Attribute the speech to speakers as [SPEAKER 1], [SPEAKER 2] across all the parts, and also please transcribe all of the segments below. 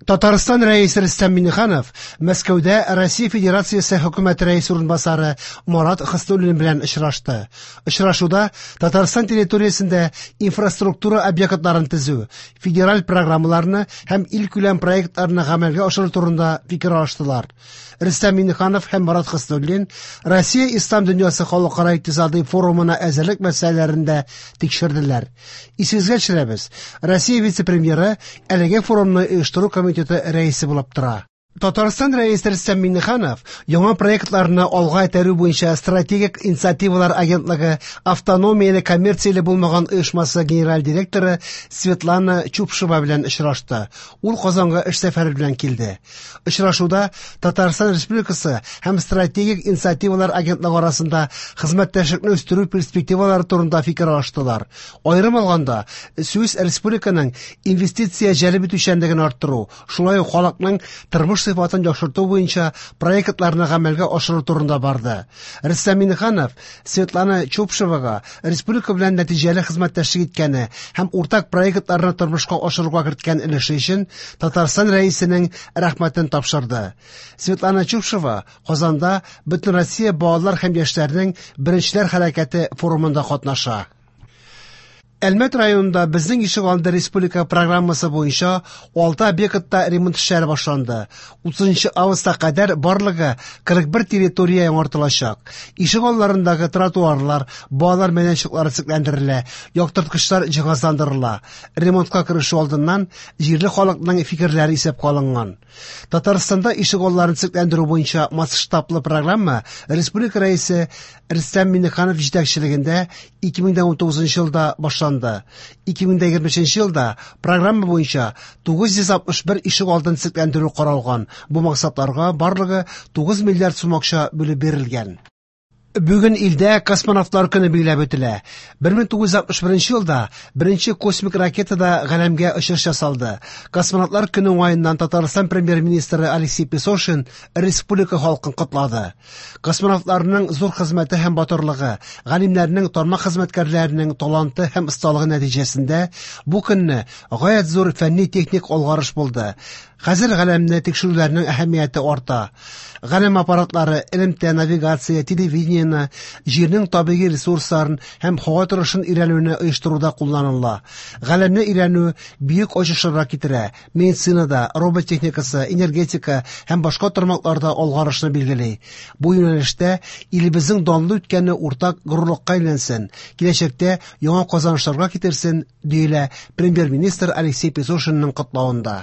[SPEAKER 1] Татарстан Рәисе Рөстәм Миңнеханов Мәскәүдә Россия Федерациясе Хөкүмәте Рәисе урынбасары Марат Хөснуллин белән очрашты. Очрашуда Татарстан территориясендә инфраструктура объектларын төзү, федераль программаларны һәм илкүләм проектларны гамәлгә ашыру турында фикер алыштылар. Рөстәм Миңнеханов һәм Марат Хөснуллин Россия Ислам дөньясы халыкара икътисадый форумына әзерлек мәсьәләләрен дә тикшерделәр. Исегезгә төшерәбез, Россия вице-премьеры әлеге форумны оештыру комитеты рәисе булып тора. Татарстан Рәисе Рөстәм Миңнеханов яңа проектларны алга этәрү буенча Стратегик инициативалар агентлыгы автономияле коммерцияле булмаган оешмасы генераль директоры Светлана Чупшева белән очрашты. Ул Казанга эш сәфәре белән килде. Очрашуда Татарстан Республикасы һәм Стратегик инициативалар агентлыгы арасында хезмәттәшлекне үстерү перспективалары турында фикер алыштылар. Аерым алганда, сүз республиканың инвестиция җәлеп итүчәнлеген арттыру, шулай ук халыкның тормыш сыйфатын яхшырту буенча проектларны гамәлгә ашыру турында барды. Рөстәм Миңнеханов Светлана Чупшевага республика белән нәтиҗәле хезмәттәшлек иткәне һәм уртак проектларны тормышка ашыруга керткән өлеше өчен Татарстан Рәисенең рәхмәтен тапшырды. Светлана Чупшева Казанда Бөтенроссия балалар һәм яшьләрнең Беренчеләр хәрәкәте форумында катнаша. Әлмәт районында Безнең ишегалды республика программасы буенча 6 объектта ремонт эшләре башланды. 30 августка кадәр барлыгы 41 территория яңартылачак. Ишегалларындагы тротуарлар, балалар мәйданчыклары төзекләндерелә, яктырткычлар җиһазландырыла. Ремонтка керешү алдыннан җирле халыкның фикерләре исәпкә алынган. Татарстанда ишегалларын төзекләндерү буенча масштаблы программа республика Рәисе Рөстәм Миңнеханов җитәкчелегендә 2019 елда башланды. 2023 елда программа буенча 961 ишек алдын төзекләндерү каралган. Бу максатларга барлыгы 9 миллиард сум акча бүлеп бирелгән. Бүген илдә космонавтлар көне билгеләп үтелә. 1961 елда беренче космик ракетада галәмгә очыш ясалды. Космонавтлар көне уңаеннан Татарстан премьер-министры Алексей Песошин республика халкын котлады. Космонавтларның зур хезмәте һәм батырлыгы, галимнәрнең, тармак хезмәткәрләренең таланты һәм осталыгы нәтиҗәсендә бу көнне гаять зур фәнни-техник алгарыш булды. Хәзер галәмне тикшерүләрнең әһәмияте арта. Галәм аппаратлары элемтә, навигация, телевидениене, җирнең табигый ресурсларын һәм һава торышын өйрәнүне оештыруда кулланыла. Галәмне өйрәнү бөек ачышларга китерә, медицинада, робот техникасы, энергетика һәм башка тармакларда алгарышны билгели. Бу юнәлештә илебезнең данлы үткәне уртак горурлыкка әйләнсен, киләчәктә яңа казанышларга китерсен, диелә премьер-министр Алексей Песошинның котлавында.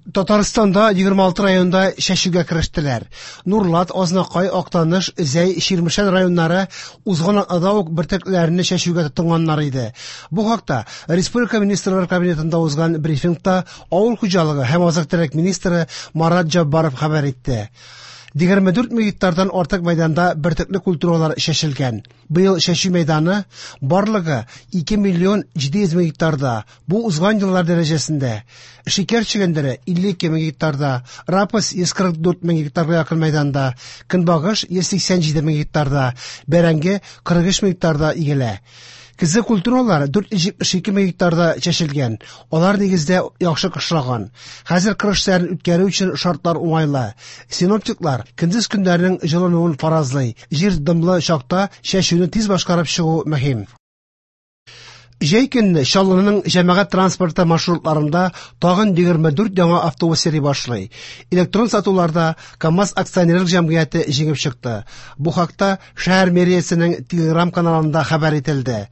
[SPEAKER 1] Татарстанда 26 районда чәчүгә керештеләр. Нурлат, Азнакай, Актаныш, Зәй, Чирмешән районнары узган атнада ук бөртекләрне чәчүгә тотынганнар иде. Бу хакта Республика Министрлар Кабинетында узган брифингта авыл хуҗалыгы һәм азык-төлек министры Марат Җаббаров хәбәр итте. 24 мең гектардан артык мәйданда бөртекле культуралар чәчелгән. Быел чәчү мәйданы барлыгы 2 миллион 700 мең гектарда, бу узган еллар дәрәҗәсендә. Шикәр чөгендере 52 мең гектарда, рапс 144 мең гектарга якын мәйданда, көнбагыш 187 мең гектарда, бәрәңге 43 мең гектарда игелә. Көзге культуралар 472 мең гектарда чәчелгән. Алар нигездә яхшы кышлаган. Хәзер кыр эшләрен үткәрү өчен шартлар уңайлы. Синоптиклар көндез көннәрнең җылынуын фаразлый. Җир дымлы чакта чәчүне тиз башкарып чыгу мөһим. Җәй көнне Чаллының җәмәгать транспорты маршрутларында тагын 24 яңа автобус йөри башлый. Электрон сатуларда КАМАЗ акционерлык җәмгыяте җиңеп чыкты. Бу хакта шәһәр мэриясенең Телеграм-каналында хәбәр ителде.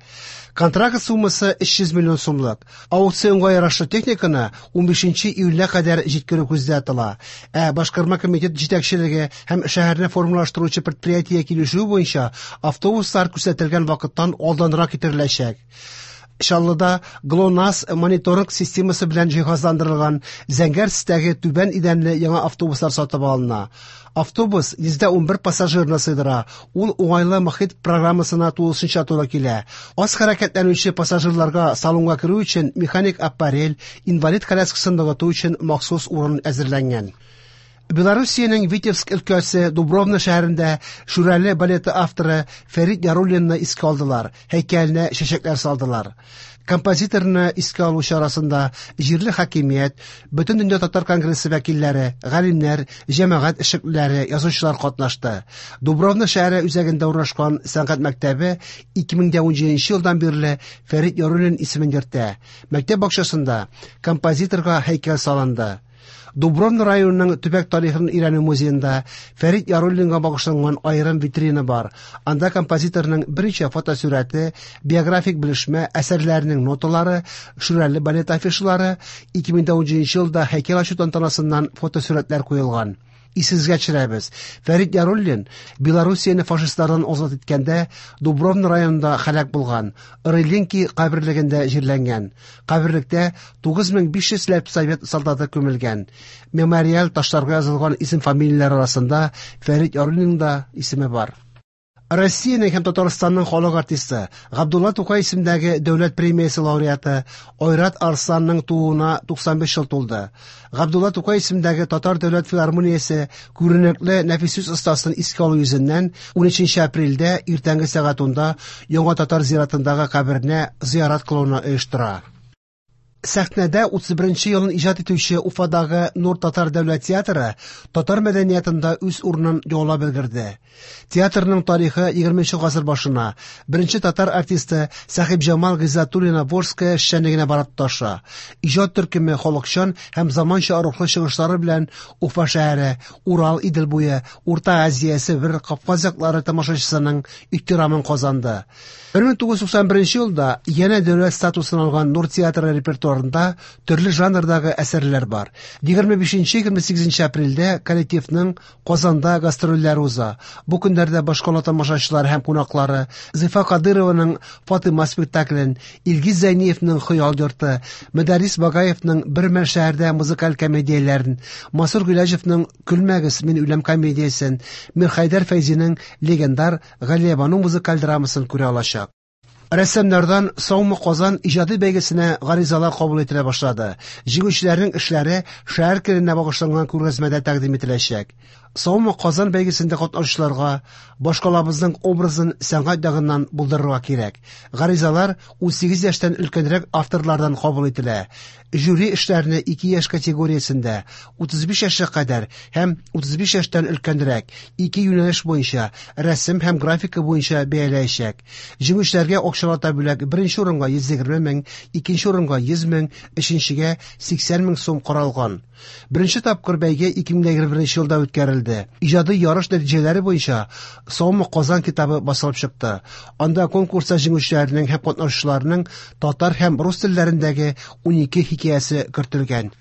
[SPEAKER 1] Контракт суммасы 300 миллион сумлык. Аукционга ярашлы техниканы 15 июльгә кадәр җиткерү күздә тотыла. Ә башкарма комитет җитәкчелеге һәм шәһәрне формалаштыручы предприятие килешүе буенча автобуслар күрсәтелгән вакыттан алданрак китереләчәк. Чаллыда ГЛОНАСС мониторинг системасы белән җиһазландырылган зәңгәр төстәге түбән идәнле яңа автобуслар сатып алына. Автобус 111 пассажирны сыйдыра. Ул уңайлы мохит программасына тулысынча туры килә. Аз хәрәкәтләнүче пассажирларга салонга керү өчен механик аппарель, инвалид коляскасын ныгыту өчен махсус урын әзерләнгән. Белоруссиянең Витебск өлкәсе Дубровна шәһәрендә Шүрәле балеты авторы Фәрит Яруллинны искә алдылар, һәйкәленә чәчәкләр салдылар. Композиторны искә алу чарасында җирле хакимият, Бөтендөнья татар конгрессы вәкилләре, галимнәр, җәмәгать эшлеклеләре, язучылар катнашты. Дубровна шәһәре үзәгендә урнашкан сәнгать мәктәбе 2017 елдан бирле Фәрит Яруллин исемен йөртә. Мәктәп бакчасында композиторга һәйкәл салынды. Дубровна районының төбәк тарихын өйрәнү музеенда Фәрит Яруллинга багышланган аерым витрина бар. Анда композиторның берничә фотосурәте, биографик белешмә, әсәрләренең ноталары, Шүрәле балет афишалары, 2017 елда һәйкәл ачу тантанасыннан фотосурәтләр куелган. Исегезгә төшерәбез. Фәрит Яруллин Белоруссияне фашистлардан азат иткәндә Дубровна районында һәлак булган. Рылинки каберлегендә җирләнгән. Каберлектә 9500 ләп совет солдаты күмелгән. Мемориаль ташларга язылган исем-фамилияләр арасында Фәрит Яруллинның да исеме бар. Россиянең һәм Татарстанның халык артисты, Габдулла Тукай исемендәге дәүләт премиясе лауреаты Айрат Арсланның тууына 95 ел тулды. Габдулла Тукай исемендәге Татар дәүләт филармониясе күренекле нәфис сүз остасын искә алу йөзеннән 13 апрельдә иртәнге сәгать 10-да Яңа Татар зиратындагы каберенә зиярат кылуны оештыра. Сәхнәдә 31 елын иҗат итүче Уфадагы Нур татар дәүләт театры татар мәдәниятында үз урынын яулап өлгерде. Театрның тарихы 20 гасыр башына, беренче татар артисты Сәхибҗамал Гыйззәтуллина-Волжская эшчәнлегенә барып тоташа. Иҗат төркеме халыкчан һәм заманча рухлы чыгышлары белән Уфа шәһәре, Урал, Идел буе, Урта Азия, Себер, Кавказ яклары тамашачысының ихтирамын казанды. 1991 елда янә дәүләт статусын алган Нур театры репертуарында төрле жанрдагы әсәрләр бар. 25-28 апрельдә коллективның Казанда гастрольләре уза. Бу көннәрдә башкала тамашачылары һәм кунаклары Зифа Кадырованың Фатыйма спектаклен, Илгиз Зәйниевның Хыял йорты, Мөдәррис Багаевның Бер мәл шәһәрдә музыкаль комедияләрен, Мансур Гыйләҗевның Көлмәгез, мин үләм комедиясен, Мирхәйдәр Фәйзинең легендар Галиябану музыкаль драмасын күрә алачак. Рәссамнардан Саумы Казан иҗади бәйгесенә гаризалар кабул ителә башлады. Җиңүчеләрнең эшләре шәһәр көненә багышланган күргәзмәдә тәкъдим ителәчәк. Саумы Казан бәйгесендә катнашучыларга башкалабызның образын сәнгать ягыннан булдырырга кирәк. Гаризалар 18 яшьтән өлкәнрәк авторлардан кабул ителә. Жюри эшләрне ике яшь категориясендә, 35 яшькә кадәр һәм 35 яшьтән өлкәнрәк, ике юнәлеш буенча, рәсем һәм графика буенча бәяләячәк. Җиңүчеләргә акчалата бүләк беренче урынга 120 мең, икенче урынга 100 мең, өченчегә 80 мең сум каралган. Беренче тапкыр бәйге 2021 елда үткәрелде. Иҗади ярыш нәтиҗәләре буенча Саумы Казан китабы басылып чыкты. Анда конкурста җиңүчеләрнең һәм катнашучыларның татар һәм рус телләрендәге 12 хикәясе кертелгән.